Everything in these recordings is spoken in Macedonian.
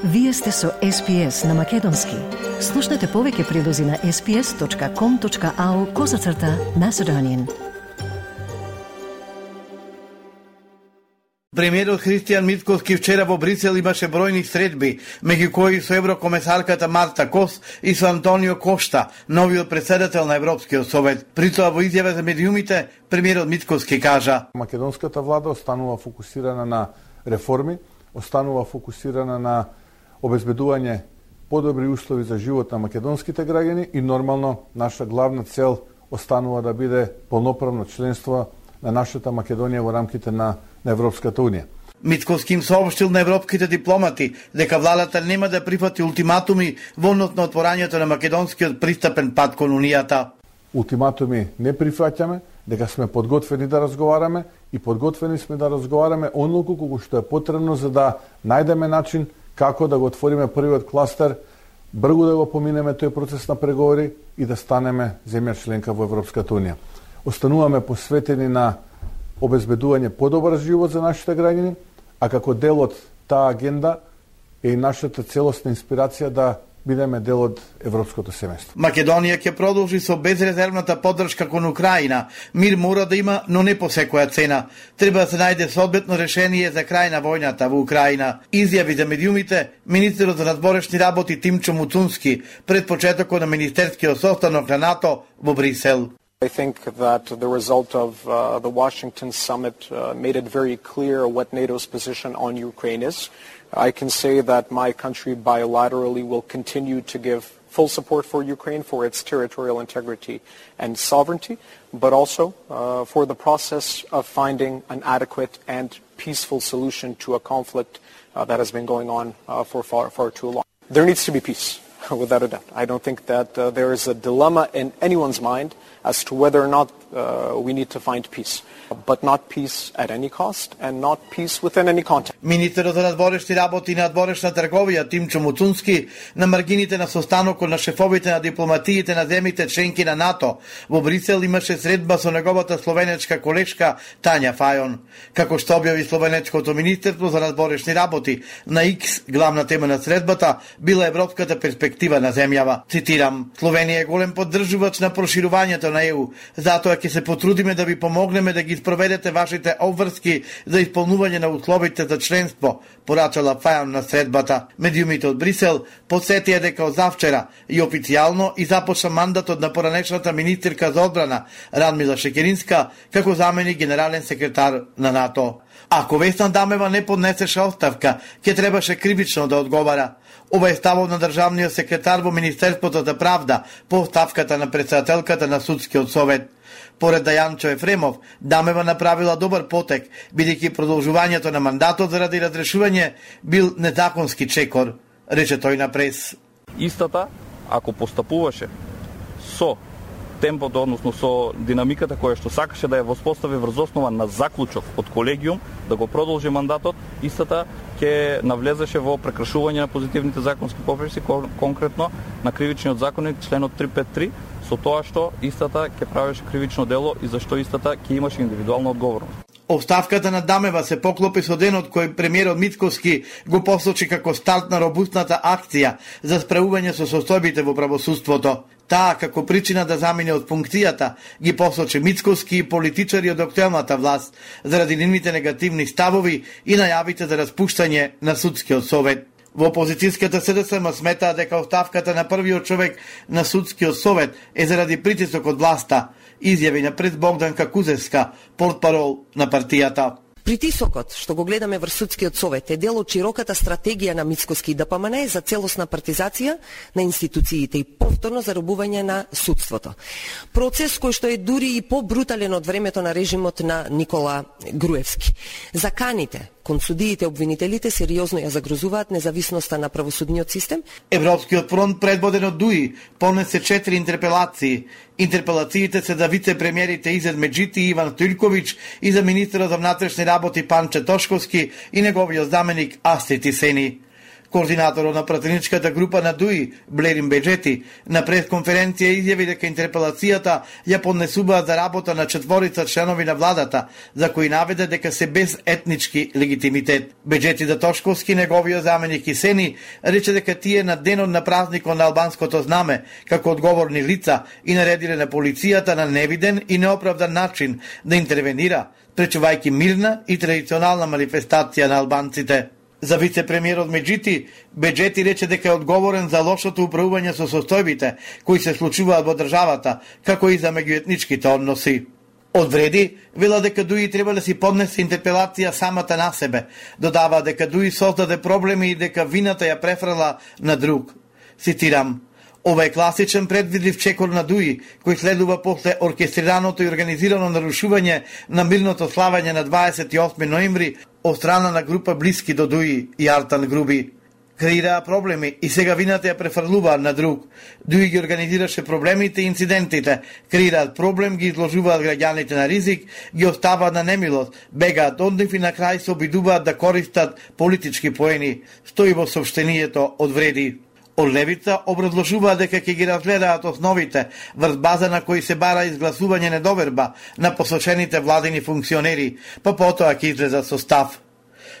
Вие сте со SPS на Македонски. Слушнете повеќе прилози на sps.com.au/Macedonian. Премиерот Христијан Мицкоски вчера во Брисел имаше бројни средби, меѓу кои со еврокомесарката Марта Кос и со Антонио Кошта, новиот председател на Европскиот совет. При тоа во изјава за медиумите, премиерот Мицкоски кажа: Македонската влада останува фокусирана на реформи, останува фокусирана на обезбедување подобри услови за живот на македонските граѓани и нормално наша главна цел останува да биде полноправно членство на нашата Македонија во рамките на Европската унија. Мицкоски им соопштил на европските дипломати дека владата нема да прифати ултиматуми во однос на отворањето на македонскиот пристапен пат кон унијата. Ултиматуми не прифаќаме, дека сме подготвени да разговараме и подготвени сме да разговараме онолку колку што е потребно за да најдеме начин како да го отвориме првиот кластер, брзо да го поминеме тој процес на преговори и да станеме земја членка во Европската унија. Остануваме посветени на обезбедување подобар живот за нашите граѓани, а како дел од таа агенда е и нашата целосна инспирација да бидеме дел од европското семејство. Македонија ќе продолжи со безрезервната поддршка кон Украина. Мир мора да има, но не по секоја цена. Треба да се најде соодветно решение за крај на војната во Украина. Изјави за медиумите министерот за надворешни работи Тимчо Муцунски пред почетокот на министерскиот состанок на НАТО во Брисел. I think that the result of the Washington summit made it very clear what NATO's position on Ukraine is. I can say that my country bilaterally will continue to give full support for Ukraine for its territorial integrity and sovereignty, but also for the process of finding an adequate and peaceful solution to a conflict that has been going on for far too long. There needs to be peace, without a doubt. I don't think that there is a dilemma in anyone's mind as to whether or not we need to find peace, but not peace at any cost and not peace within any context. Министерот за надворешни работи и надворешна трговија Тимчо Муцунски на маргините на состанокот на шефовите на дипломатиите на земјите членки на НАТО во Брисел имаше средба со неговата словенечка колешка Тања Фајон. Како што објави словенечкото министерство за надворешни работи на X, главна тема на средбата била европската перспектива на земјава. Цитирам: Словенија е голем поддржувач на проширувањето на ЕУ, затоа ќе се потрудиме да ви помогнеме да ги спроведете вашите обврски за исполнување на условите за членство, порачала Фајон на средбата. Медиумите од Брисел подсетија дека од завчера и официјално и започна мандатот на поранешната министерка за одбрана Радмила Шекеринска како заменик генерален секретар на НАТО. Ако Весна Дамева не поднесеше оставка, ќе требаше кривично да одговара. Ова е ставот на државниот секретар во Министерството за правда по оставката на председателката на Судскиот совет. Поред Дајанчо Ефремов, Дамева направила добар потек, бидејќи продолжувањето на мандатот заради разрешување бил незаконски чекор, рече тој на прес. Истата, ако постапуваше со темпото, односно со динамиката која што сакаше да ја воспостави врз основа на заклучок од колегиум, да го продолжи мандатот, истата ќе навлезеше во прекршување на позитивните законски прописи, конкретно на кривичниот законник членот 353, со тоа што истата ќе правеше кривично дело и зашто истата ќе имаше индивидуална одговорност. Оставката на Дамева се поклопи со денот кој премиерот Мицкоски го посочи како старт на робустната акција за справување со состојбите во правосудството. Таа, како причина да замине од функцијата, ги посочи Мицкоски и политичари од актуелната власт заради нивните негативни ставови и најавите за распуштање на Судскиот совет. Во опозицијската СДСМ сметаа дека оставката на првиот човек на Судскиот совет е заради притисок од власта, изјави на пред Богданка Кузевска, портпарол на партијата. Притисокот што го гледаме врз Судскиот совет е дел од широката стратегија на Мицкоски ДПМН за целосна партизација на институциите и повторно заробување на судството. Процес кој што е дури и побрутален од времето на режимот на Никола Груевски. Заканите кон судиите обвинителите сериозно ја загрозуваат независноста на правосудниот систем. Европскиот фронт, предводен од ДУИ, понесе 4 интерпелации. Интерпелациите се за вице-премиерите Изет Меджити и Иван Стојлковиќ и за министерот за внатрешни работи Панче Тошковски и неговиот заменик Асти Тисени. Координаторот на пратеничката група на ДУИ, Блерин Беджети, на пресконференција изјави дека интерпелацијата ја поднесуваат за работа на 4 членови на владата, за кои наведе дека се без етнички легитимитет. Беджети Датошковски, неговиот заменик Исени, рече дека тие на денот на празникот на албанското знаме, како одговорни лица, и наредиле на полицијата на невиден и неоправдан начин да интервенира, пречувајќи мирна и традиционална манифестација на албанците. За вице-премиерот Меджити, Беджети рече дека е одговорен за лошото управување со состојбите кои се случуваат во државата, како и за меѓуетничките односи. Одвреди, вела дека ДУИ треба да си поднесе интерпелација самата на себе, додава дека ДУИ создаде проблеми и дека вината ја префрла на друг. Цитирам: "Ова е класичен предвидлив чекор на ДУИ, кој следува после оркестрираното и организирано нарушување на мирното славање на 28 ноември од страна на група блиски до ДУИ и Артан Груби. Креираа проблеми и сега вината ја префрлуваат на друг. ДУИ ги организираше проблемите и инцидентите, креираат проблем, ги изложуваат граѓаните на ризик, ги оставаат на немилост, бегаат од нив и на крај се обидуваат да користат политички поени", стои во соопштението од Вреди. Од левица образложуваат дека ќе ги разгледаат основите врз база на кои се бара изгласување недоверба на посочените владини функционери, па потоа ќе излезат со став.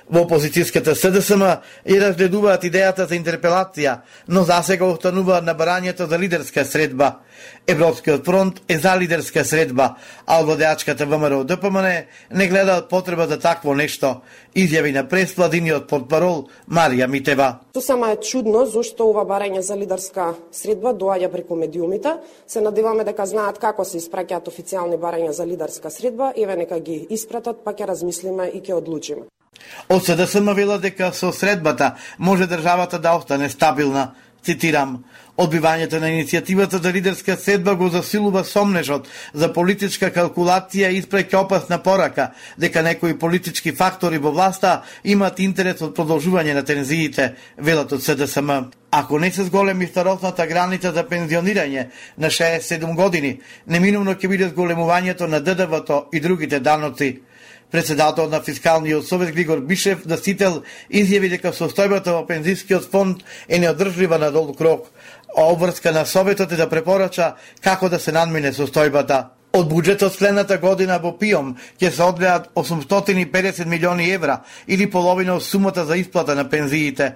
Во опозицијската СДСМ и разгледуваат идејата за интерпелација, но засега остануваат на барањето за лидерска средба. Европскиот фронт е за лидерска средба, а владеачката ВМРО ДПМН не гледаат потреба за такво нешто, изјави на прес-владиниот портпарол Марија Митева. Сама е чудно зашто ова барање за лидерска средба доаѓа преку медиумите. Се надеваме дека знаат како се испраќаат официјални барања за лидерска средба, еве нека ги испратат, па ќе размислиме и ќе одлучиме. Од СДСМ вела дека со средбата може државата да остане стабилна. Цитирам: "Одбивањето на иницијативата за лидерска средба го засилува сомнежот за политичка калкулација и испраќа опасна порака дека некои политички фактори во власта имаат интерес од продолжување на тензиите", велат од СДСМ. Ако не се зголеми старосната граница за пензионирање на 67 години, неминувно ќе биде зголемувањето на ДДВ-то и другите даноци. Председателот на Фискалниот совет Глигор Бишев Дасител изјави дека состојбата во пензискиот фонд е неодржлива на долг рок, а обврска на советот е да препорача како да се надмине состојбата. Од буџетот следната година во ПИОМ ќе се одгледат 850 милиони евра или половина од сумата за исплата на пензиите.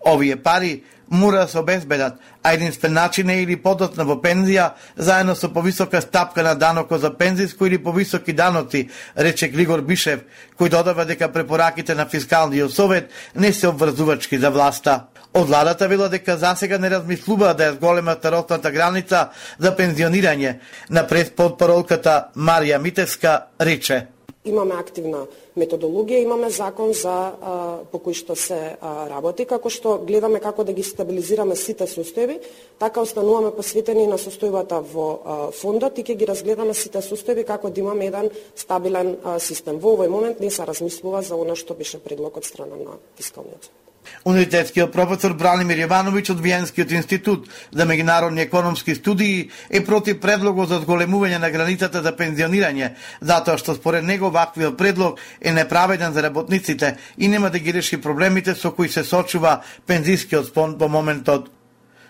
Овие пари мора да се обезбедат, а единствен начин е или подоцна во пензија, заедно со повисока стапка на данокот за пензиско или повисоки даноци, рече Глигор Бишев, кој додава дека препораките на Фискалниот совет не се обврзувачки за власта. Од владата вела дека засега не размислуваат да ја зголемат старосната граница за пензионирање. На преспортпаролката Марија Митевска рече: "Имаме активна методологија, имаме закон за по кој што се работи, како што гледаме како да ги стабилизираме сите состојби, така остануваме посветени на состојбата во фондот и ќе ги разгледаме сите состојби како да имаме еден стабилен систем. Во овој момент не се размислува за она што беше предлог од страна на Фискалниот. Универзитетскиот професор Бранимир Јовановиќ од Виенскиот институт за меѓународни економски студии е против предлогот за зголемување на границата за пензионирање, затоа што според него ваквиот предлог е неправеден за работниците и нема да ги реши проблемите со кои се сочува пензискиот фонд во моментот.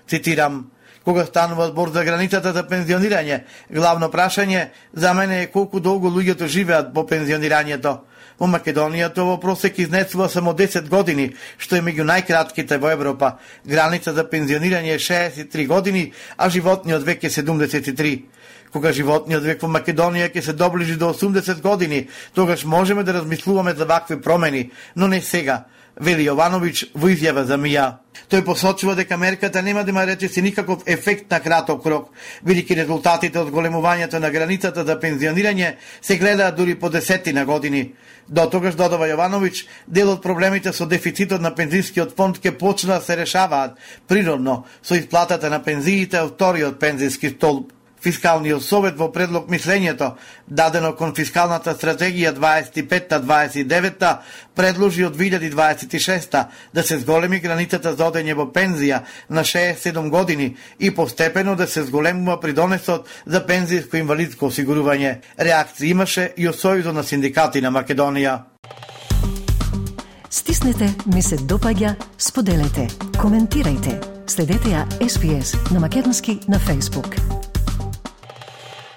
Цитирам: "Кога станува збор за границата за пензионирање, главно прашање за мене е колку долго луѓето живеат по пензионирањето. Во Македонија тоа во просек изнесува само 10 години, што е меѓу најкратките во Европа. Граница за пензионирање е 63 години, а животниот век е 73. Кога животниот век во Македонија ќе се доближи до 80 години, тогаш можеме да размислуваме за вакви промени, но не сега", вели Јовановиќ во изјава за МИА. Тој посочува дека мерката нема да има речиси никаков ефект на краток рок, бидејќи резултатите од големувањето на границата за пензионирање се гледаат дури по десетина години. До тогаш, додава Јовановиќ, дел од проблемите со дефицитот на пензискиот фонд ќе почнат да се решаваат природно со исплатата на пензиите од вториот пензиски столб. Фискалниот совет во предлог мислењето, дадено кон фискалната стратегија 25-29 предложи од 2026 да се зголеми границата за одење во пензија на 67 години и постепено да се зголемува придонесот за пензијско инвалидско осигурување. Реакција имаше и од Сојузот на синдикати на Македонија. Стиснете ми се допаѓа, споделете, коментирајте. Следете ја SPS на македонски на Facebook.